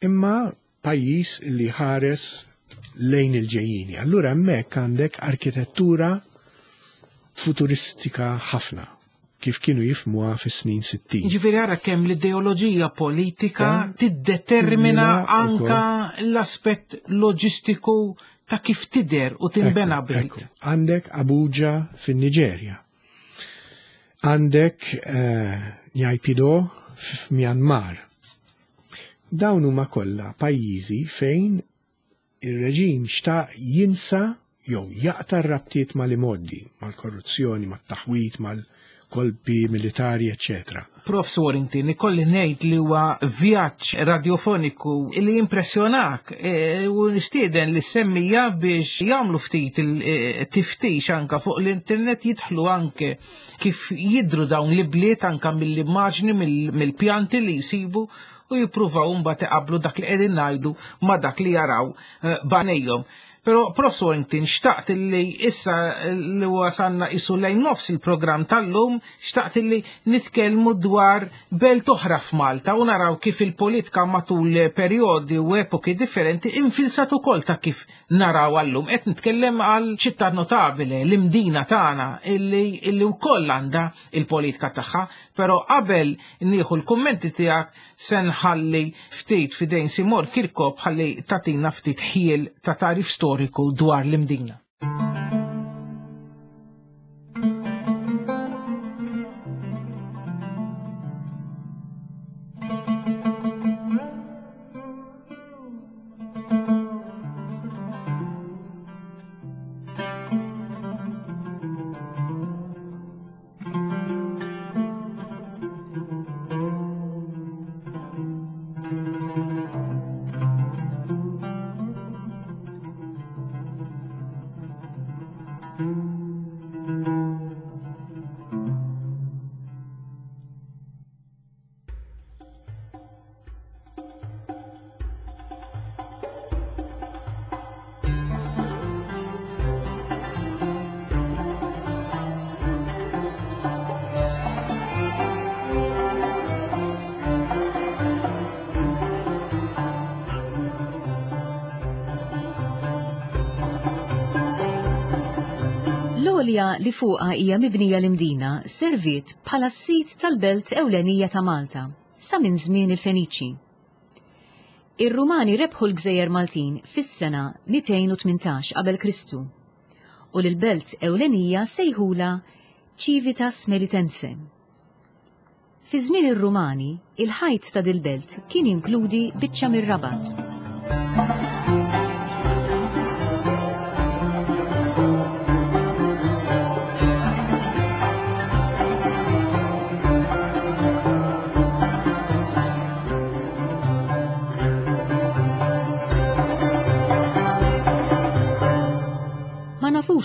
imma pajjiż li ħares lejn il-ġejjieni. Allura hemmhekk għandek arkitettura futuristika ħafna kif kienu jifmuha fis-snin 60. Ġifieri ara kemm l-ideoloġija politika tiddetermina anka l-aspett loġistiku ta' kif tidher u tinbena belt. Għandek Abuja fin-Niġerja. Għandek eh, Naypyidaw f'Myanmar. Dawn huma kollha pajjiżi fejn ir-reġim xtaq jinsa jew jaqta' r-rabtiet mal-imgħoddi, mal-korruzzjoni, mat-taħwid, mal-kolpi militari, eċċetera. Prof. Warrington, ikolli ngħid li huwa vjaġġ radjofoniku li jimpressjonak e, u nistieden li semmija biex jagħmlu ftit il-tiftix e, anka fuq l-internet jidħlu anke kif jidru dawn l-ibliet anka mill-immaġni mill-pjanti li jsibu u jippruvaw mbagħad iqabblu dak li qegħdin ngħidu ma' dak li jaraw eh, b'għajnejhom. Però Prof. Warrington xtaqt li issa li wasanna isu lejn nofs il-programm tal-lum, xtaqt li nitkellmu dwar belt oħra f'Malta u naraw kif il-politika matul perjodi u epoki differenti infilsat ukoll ta' kif naraw għallum. Qed nitkellem għal ċittà notabile, l-imdina tagħna illi, illi wkoll għandha il-politika tagħha, però qabel nieħu l-kummenti tiegħek Se nħalli ftit f'idejn Simon Kirkop ħalli tagħtina ftit ħjiel ta' tagħrif storiku dwar l-Imdina. L-għolja li fuqha hija mibnija l-Imdina serviet bħala s-sit tal-belt ewlenija ta' Malta sa minn żmien il-Feniċi. Ir-Rumani rebħu l-gżejjer Maltin fis-sena 218 qabel Kristu u lill-belt ewlenija sejħulha Civitas Melitense. Fi żmien ir-Rumani, il-ħajt ta' dil-belt kien jinkludi biċċa mir-Rabat.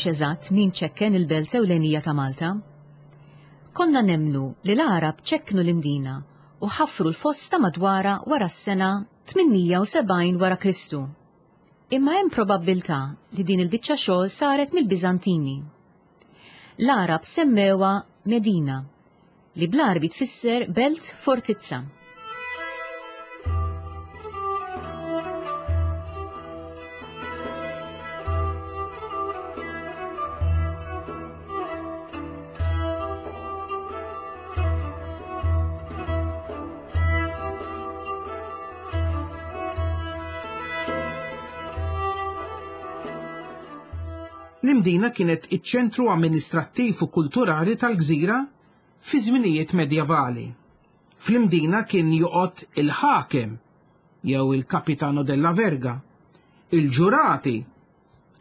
nafux eżatt min ċekken il-belt ewlenija ta' Malta. Konna nemmnu li l-Għarab ċekknu l-Imdina u ħaffru l-fosta madwarha wara s-sena 870 wara Kristu. Imma hemm probabbiltà li din il-biċċa xogħol saret mill-Biżantini. L-Għarab semmewha Medina, li bl-Għarbi tfisser belt fortizza. L-Imdina kienet iċ-ċentru amministrattiv u kulturali tal-gżira fi żminijiet medjevali. Fl-Imdina kien joqgħod il-ħakem jew il-Capitano della Verga, il-ġurati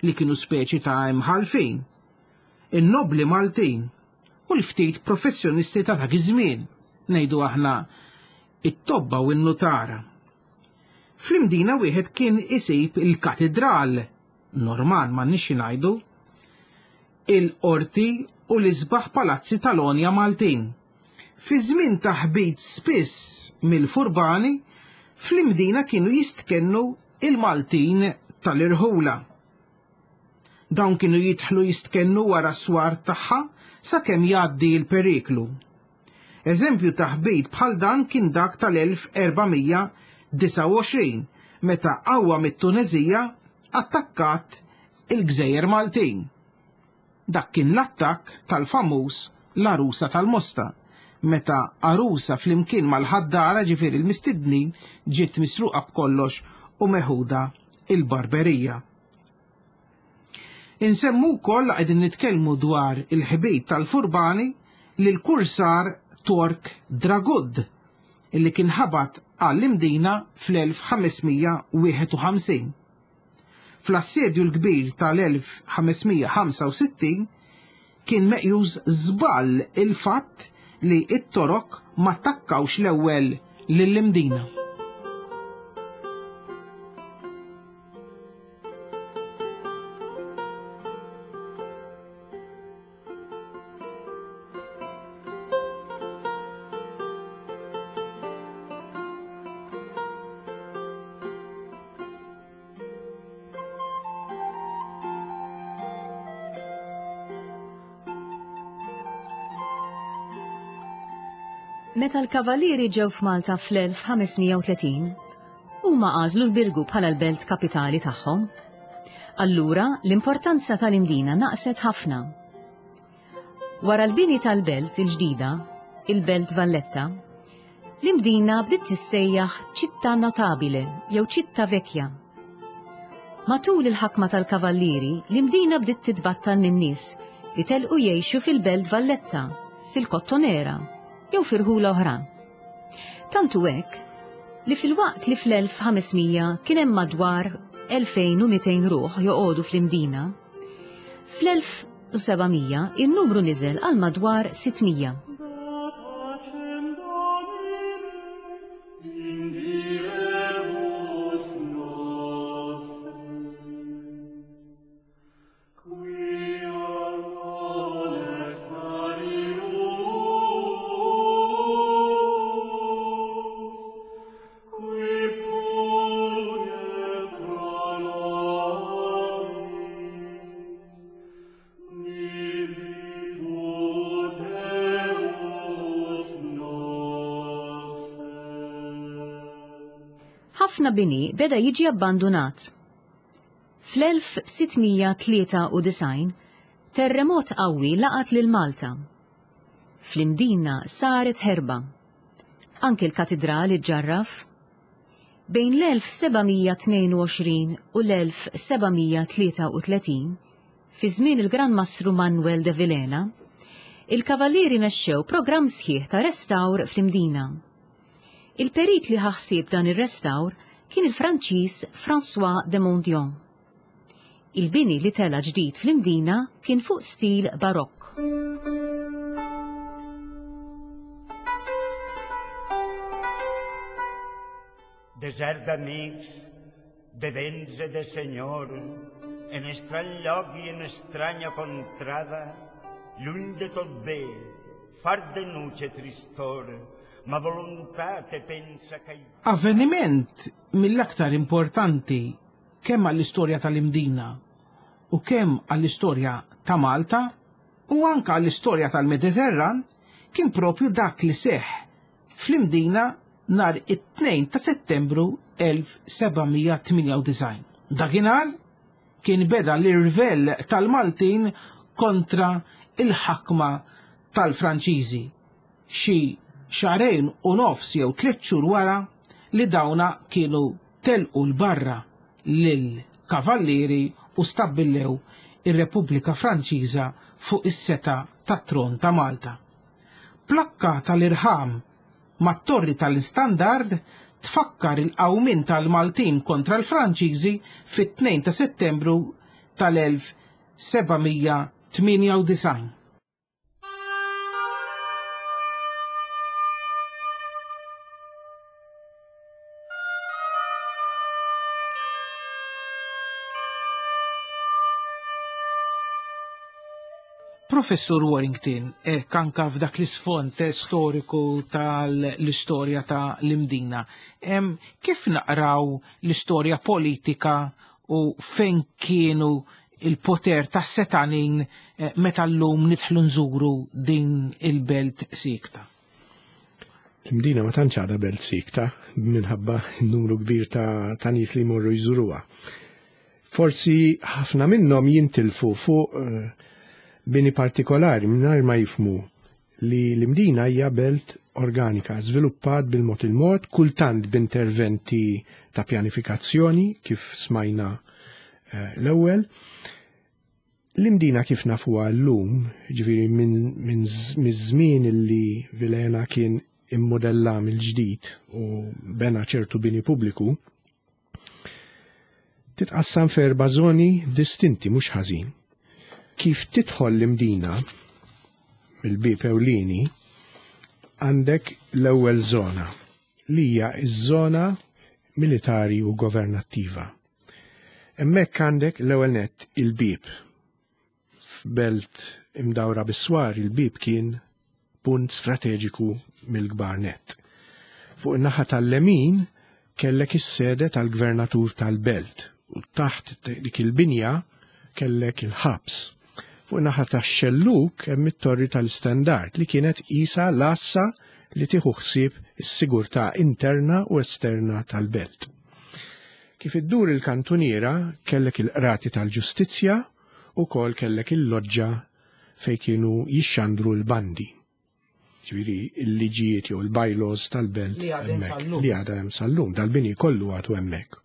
li kienu speċi ta' imħalfin, in-nobbli Maltin u l-ftit professjonisti ta' dak iż-żmien, ngħidu aħna it-tobba u n-nutara. Fl-Imdina wieħed kien isib il-katidral, Norman m'għandniex xi ngħidu, il-qorti u l-isbaħ palazzi tal-għonja Maltin. Fi żmien ta' ħbit spiss mill-furbani, fl-Imdina kienu jistkennu il-Maltin tal-irħula. Dawn kienu jidħlu jistkennu wara s-swar tagħha sakemm jgħaddi l-periklu. Eżempju ta' ħbit bħal dan kien dak tal-1429 meta qawwa mit-Tuneżija attakkat il-Gżejjer Maltin. Dak kien l-attakk tal-famuż l-għarusa tal-Mosta, meta għarusa flimkien mal-ħaddara ġifieri l-mistednin ġiet misruqa b'kollox u meħuda il-Barberija. Insemmu wkoll la qegħdin nitkellmu dwar il-ħbit tal-furbani lill-kursar Tork Dragud illi kien ħabat għall-Imdina fl-1551. Fl-Assedju l-Kbir tal-1565 kien meqjus żball il-fatt li t-Torok ma attakkawx l-ewwel lill-Imdina. Meta l-Kavalieri ġew f'Malta fl-1530, huma għażlu l-Birgu bħala l-belt kapitali tagħhom. Allura, l-importanza tal-Imdina naqset ħafna. Wara l-bini tal-belt il-ġdida, il-Belt Valletta, l-Imdina bdiet tissejjaħ Città Notabile jew Città Vecchia. Matul il-ħakma tal-Kavallieri, l-Imdina bdiet titbattal min-nies li telqu jgħixu fil-Belt Valletta, fil-Kottonera jew fi rħula oħra. Tant hu hekk li filwaqt li fl-1500 kien hemm madwar 2200 ruħ joqogħdu fl-Imdina, fl-1700 in-numru niżel għal madwar 600. Ħafna bini beda jiġi abbandunat. Fl-1693, terremot qawwi laqat lil Malta. Fl-Imdina saret ħerba. Anki l-katidral iġġarraf. Bejn l-1722 u l-1733, fi żmien il-Gran Mastru Manuel de Vilhena, il-Kavallieri mexxew programm sħiħ ta' restawr fl-Imdina. Il-perit li ħa ħsieb dan ir-restawr kien il-Franċiż François de Mondion. Il-bini li tela' ġdid fl-Imdina kien fuq stil Barokk. Desert d'amics, de vents e de senhor. En estrany lloc i en estranya contrada, lluny de tot bé, fart de nuig e tristor, ma voluntat e pensa que... Avveniment mill-aktar importanti kemm għall-istorja tal-Imdina u kemm għall-istorja ta' Malta u anke għall-istorja tal-Mediterran kien propju dak li seħħ fl-Imdina nhar it-Tnejn ta' Settembru 1798. Dakinhar kien beda l-irvell tal-Maltin kontra il-ħakma tal-Franċiżi, xi xahrejn u nofs jew tliet xhur wara li dawna kienu telqu 'l barra lill-Kavallieri u stabbilew ir-Repubblika Franċiża fuq is-setgħa tat-tron ta' Malta. Plakka tal-irħam mat-Torri tal-Istandard tfakkar il-qawmien tal-Maltin kontra l-Franċiżi fit-2 ta' Settembru tal-1798. Professur Warrington, hekk anka f'dak l-isfond storiku tal-istorja ta' l-Imdina, kif naqraw l-istorja politika u fejn kienu il-poter ta' setanin eh, meta llum nidħlu nżuru din il-belt sikta? L-Imdina ma tantx għadha belt sikta minħabba n-numru kbir ta', ta nies li jmorru jżuruha. Forsi ħafna minnhom jintilfu fuq eh, bini partikolari mingħajr ma jifmu li l-Imdina hija belt organika, żviluppat bil-mod il-mod, kultant b'interventi ta' pjanifikazzjoni kif smajna eh, l-ewwel. L-Imdina kif nafuha llum, ġifieri minn żmien li Vilena kien immodella mill-ġdid u bena ċertu bini pubbliku, titqassam f'erba' żoni distinti mhux ħażin. Kif tidħol l-Imdina mill-bieb ewlieni għandek l-ewwel żona li hija ż-żona militari u governattiva. Hemmhekk għandek l-ewwel nett il-bieb. F'belt imdawra bis-swar il-bieb kien punt strateġiku mill-kbar nett. Fuq in-naħa tal-lemin kellek is-sede tal-gvernatur tal-belt u taħt dik il-binja kellek il-ħabs. Fuq in-naħa tax-xellug hemm it-torri tal-istendard li kienet qisha l-għassa li tieħu ħsieb is-sigurtà interna u esterna tal-belt. Kif iddur il-kantuniera kellek il-qrati tal-ġustizzja u kol kellek il-loġġa fejn kienu jixxandru l-bandi. Ġifieri il-liġijiet jew il-bylaws tal-belt li għadha hemm sal-lum, dal-bini kollu għadu hemmhekk.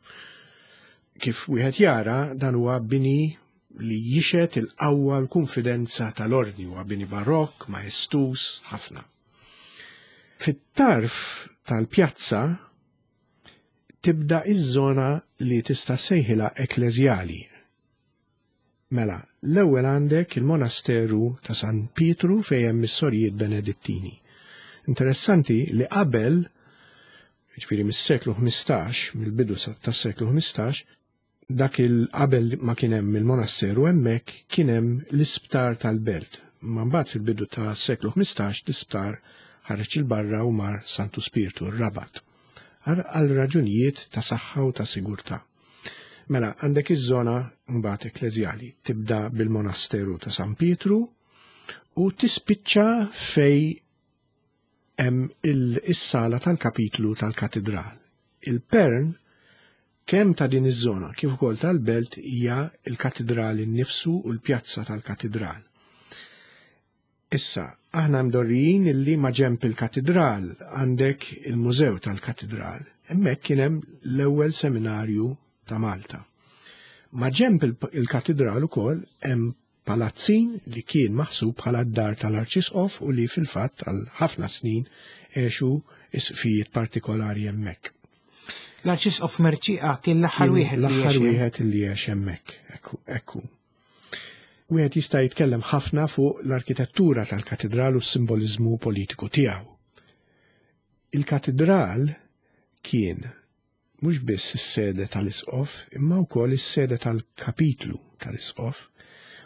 Kif wieħed jara dan huwa bini li jixet il-qawwa l-kunfidenza tal-ordni huwa bini barokk, majestus, ħafna. Fit-tarf tal-pjazza tibda iż-żona li tista' sejħilha ekkleżjali. Mela, l-ewwel għandek il-monasteru ta' San Pietru fejn hemm is-sorijiet Benedittini. Interessanti li qabel, jiġifieri mis-seklu 15, mill-bidu tas-seklu 15, dak il qabel ma kien hemm il-monasteru hemmhekk kien hemm l-isptar tal-belt. Ma mbagħad fil-bidu tas-seklu 15 l-isptar ħareġ 'il barra u mar Santu Spirtu, r-Rabat, għal raġunijiet ta' saħħa u ta' sigurtà. Mela, għandek iż-żona mbagħad ekkleżjali, tibda bil-monasteru ta' San Pietru u tispiċċa fej hemm is-sala tal-kapitlu tal-katedral. Il-pern kemm ta' din iż-żona kif ukoll tal-belt hija l-katedral innifsu u l-pjazza tal-katedral. Issa, aħna mdorrijin illi ma' ġenb il-katidral għandek il-mużew tal-katidral. Hemmhekk kien hemm l-ewwel seminarju ta' Malta. Ma' ġenb il-katidral ukoll hemm palazzin li kien maħsub bħala d-dar tal-Arċisqof u li fil-fatt għal ħafna snin għexu isqfijiet partikolari hemmhekk. L-Arċisqof Mercieca kien l-aħħar wieħed li L-aħħar wieħed li għex hemmhekk. Ekku. Wieħed jista' jitkellem ħafna fuq l-arkitettura tal-katidral u s-simboliżmu politiku tiegħu. Il-katidral kien mhux biss is-sede tal-isqof imma wkoll is-sede tal-kapitlu. tal-isqof.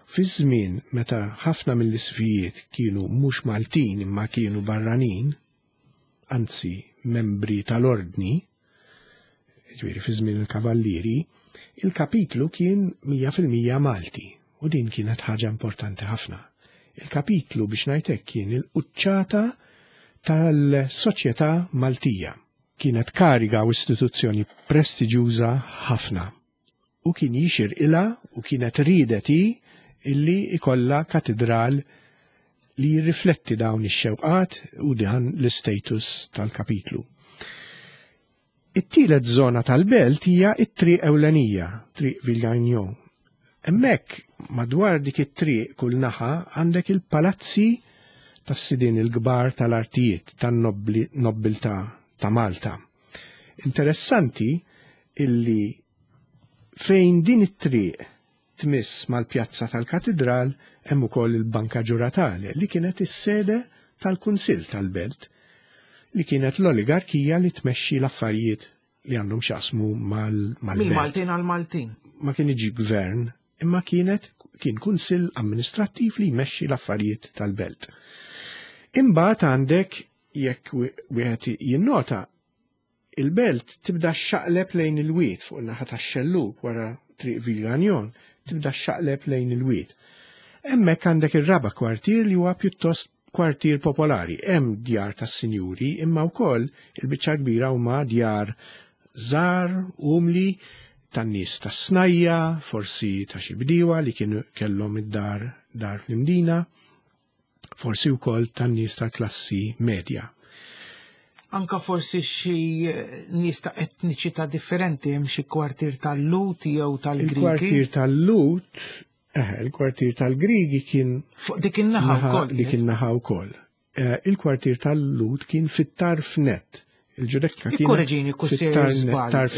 Fi żmien meta ħafna mill-isqfijiet kienu mhux Maltin imma kienu barranin, anzi membri tal-ordni, ġifieri fi żmien il-Kavallieri, il-kapitlu kien 100% Malti u din kienet ħaġa importanti ħafna. Il-kapitlu biex ngħid hekk kien il-quċċata tal-soċjetà Maltija. Kienet kariga u istituzzjoni prestiġjuża ħafna u kien jixirqilha u kienet riedet hi illi ikollha katidral li jirrifletti dawn ix-xewqat u dan l-istatus tal-kapitlu. It-tielet żona tal-belt hija t-triq ewlenija, Triq Villegagnon. Hemmhekk madwar dik it-triq kull naħa għandek il-palazzi tas-sidien il-kbar tal-artijiet tan-nobbiltà ta' Malta. Interessanti illi fejn din it-triq tmiss mal-pjazza tal-Katidral hemm ukoll il-Banca Giuratale li kienet is-sede tal-Kunsill tal-Belt li kienet l-oligarkija li tmexxi l-affarijiet li għandhom x'jaqsmu mal-belt. Mill-Maltin għall-Maltin. Ma kienx gvern, imma kienet kien kunsill amministrattiv li jmexxi l-affarijiet tal-belt. Imbagħad għandek jekk wieħed jinnota Il-belt tibda xxaqleb lejn il-wied fuq in-naħa tax-xellug wara Triq Villegagnon, tibda xxaqleb lejn il-wied. Hemmhekk għandek ir-raba' kwartier li huwa pjuttost kwartier popolari. Hemm djar tas-sinjuri imma wkoll il-biċċa kbira huma djar żgħar, umli, tan-nies tas-snajja, forsi ta' xi bdiewa li kienu kellhom id-dar dar fl-Imdina. forsi wkoll tan-nies tal-klassi medja. Anka forsi xi nies ta' etniċità differenti hemm xi kwartier tal-Lut jew tal-Grigi. Il-kwartier tal-Lut, eh, il-kwartier tal-Grigi kien fuq dik in-naħa wkoll. Dik in-naħa wkoll. Eh, il-kwartier tal-Lut kien fit-tarf net. Il-ġudekka kien. Ikkoreġini kussir żball.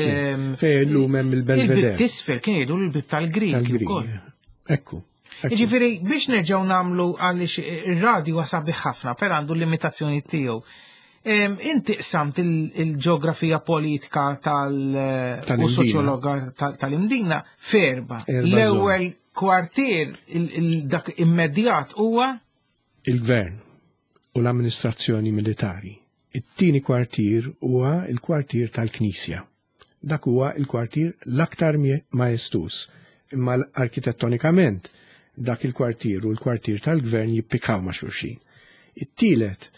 Fejn illum hemm il-Belvedere. Il-bib tisfel kien jgħidu l-bib tal-Grigi wkoll. Ekku. Jiġifieri biex nerġgħu nagħmlu għaliex ir-radju huwa sabiħ ħafna, per għandu l-limitazzjoni tiegħu. Inti qsamt il-ġeografija politika tal- u soċjologa tal-Imdina ferba. L-ewwel kwartier dak immedjat huwa il-gvern u l-amministrazzjoni militari. It-tieni kwartier huwa l-kwartier tal-Knisja. Dak huwa l-kwartier l-aktar maestuż, imma arkitettonikament dak il-kwartier u l-kwartier tal-gvern jippikaw ma' xulxin. It-tielet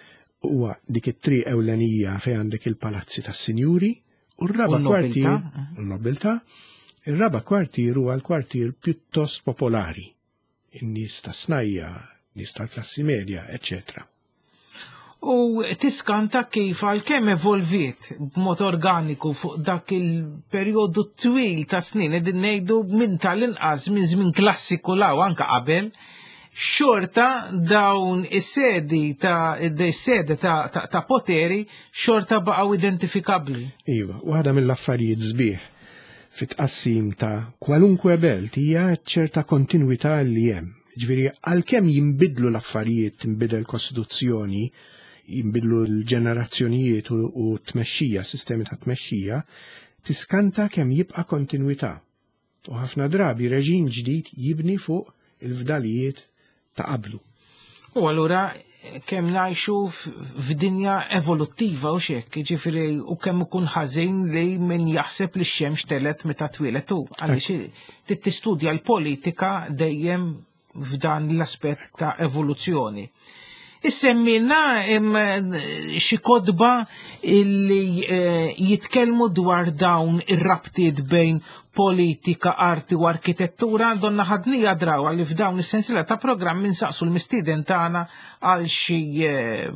huwa dik it-triq ewlenija fejn għandek il-palazzi tas-sinjuri u r-raba' kwartier, u n-nobiltà, ir-raba' kwartier huwa l-kwartier pjuttost popolari in-nies tas-snajja, nies tal-klassi medja, eċċetera. U tiskanta kif għalkemm evolviet b'mod organiku fuq dak il-perjodu twil ta' snin, qegħdin ngħidu minn tal-inqas minn żmien klassiku law anka qabel, xorta dawn is-sedi ta' is-sede ta', ta, ta poteri xorta baqgħu identifikabbli. Iva, waħda mill-affarijiet sbieħ fit-tqassim ta' kwalunkwe belt hija ċerta kontinwità li hemm. Ġifieri għalkemm jinbidlu l-affarijiet, tinbidel kostituzzjoni, jinbidlu l-ġenerazzjonijiet u t-tmexxija, sistemi ta' tmexxija, tiskanta kemm jibqa' kontinwità. U ħafna drabi reġim ġdid jibni fuq il-fdalijiet ta' qablu. U allura kemm ngħixu f'dinja evoluttiva u xek, ġifieri u kemm ikun ħażin li min jaħseb li x-xemx telet meta twieled hu. Għaliex tistudja l-politika dejjem f'dan l-aspett ta' evoluzzjoni. Issemmilna xi kotba illi eh, jitkellmu dwar dawn ir-rabtiet bejn politika, arti u arkitettura, donna ħadnija drawa li f'dawn is-sensiela ta' programm insaqsu l-mistieden tagħna għal xi eh,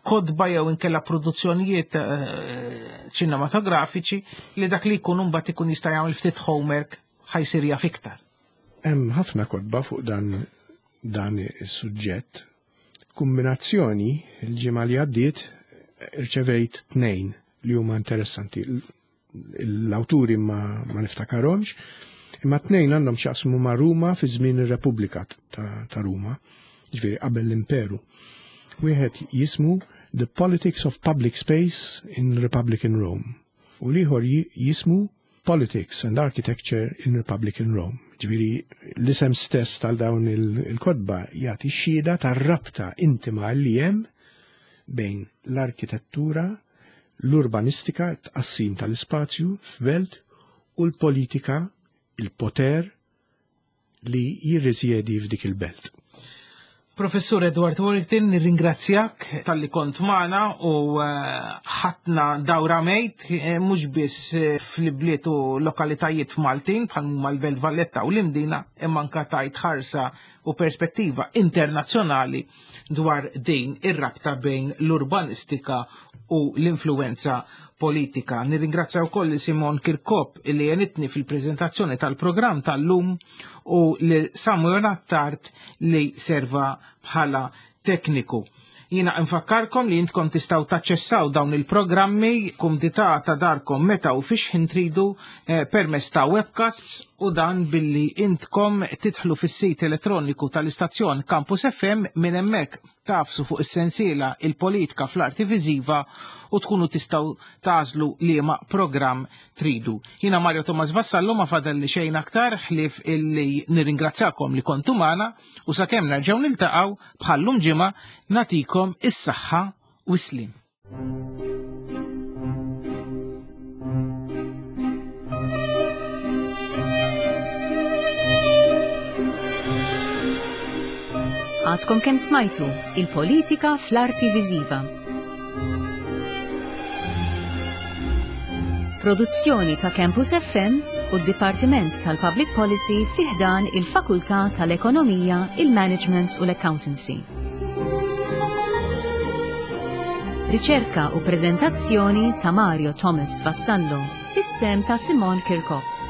kotba jew inkella produzzjonijiet eh, ċinematografiċi li dak li jkun mbagħad ikun jista' jagħmel ftit homework ħajsir jaf iktar. Hemm ħafna kotba fuq dan dan is-suġġett. Kumbinazzjoni, il-ġimgħa li għaddiet irċevejt tnejn li huma interessanti. L-awturi ma, ma niftakarhomx, imma tnejn għandhom x'jaqsmu ma' Ruma fi żmien ir-Repubblika ta', ta Ruma, ġifieri qabel l-Imperu. Wieħed jismu The Politics of Public Space in Republican Rome u l-ieħor jismu Politics and Architecture in Republican Rome. Ġifieri l-isem stess tal dawn il-kotba jagħti xhieda tar-rabta intima li hemm bejn l-arkitettura, l-urbanistika, tqassim tal-ispazju f'belt u l-politika, il-poter li jirrisjedi f'dik il-belt. Professur Edward Warrington, nirringrazzjak talli kont magħna u eh, ħatna dawra mejt eh, mhux biss eh, fl-ibliet u lokalitajiet Maltin bħal huma l-Belt Valletta u l-Imdina imma anka tajt ħarsa u perspettiva internazzjonali dwar din ir-rabta bejn l-urbanistika u l-influenza politika. Nirringrazzja wkoll li Simon Kirkop li jenitni fil-preżentazzjoni tal-programm tal-lum u li Samuel Attard li serva bħala tekniku. Jina nfakkarkom li jintkom tistaw taċċessaw dawn il-programmi kumdità ta' darkom meta u fiex ħin tridu eh, permezz ta' webcasts u dan billi intkom titħlu fis-sit elettroniku tal-istazzjon Campus FM minn hemmhekk tafsu fuq is-sensiela il-politika fl-arti viżiva u tkunu tistgħu tagħżlu liema programm tridu. Jiena Mario Thomas Vassallo ma fadalli xejn aktar ħlief illi nirringrazzjakom li kontu magħna u sakemm nerġgħu niltaqgħu bħallum ġimgħa nagħtikom is-saħħa u s-slim. Għadkom kemm smajtu il-politika fl-arti viżiva. Produzzjoni ta' Campus FM u d-Dipartiment tal-Public Policy fi ħdan il-Fakultà tal-Ekonomija, il-Management u l-Accountancy. Riċerka u preżentazzjoni ta' Mario Thomas Vassallo, bis-sehem ta' Simon Kirkop.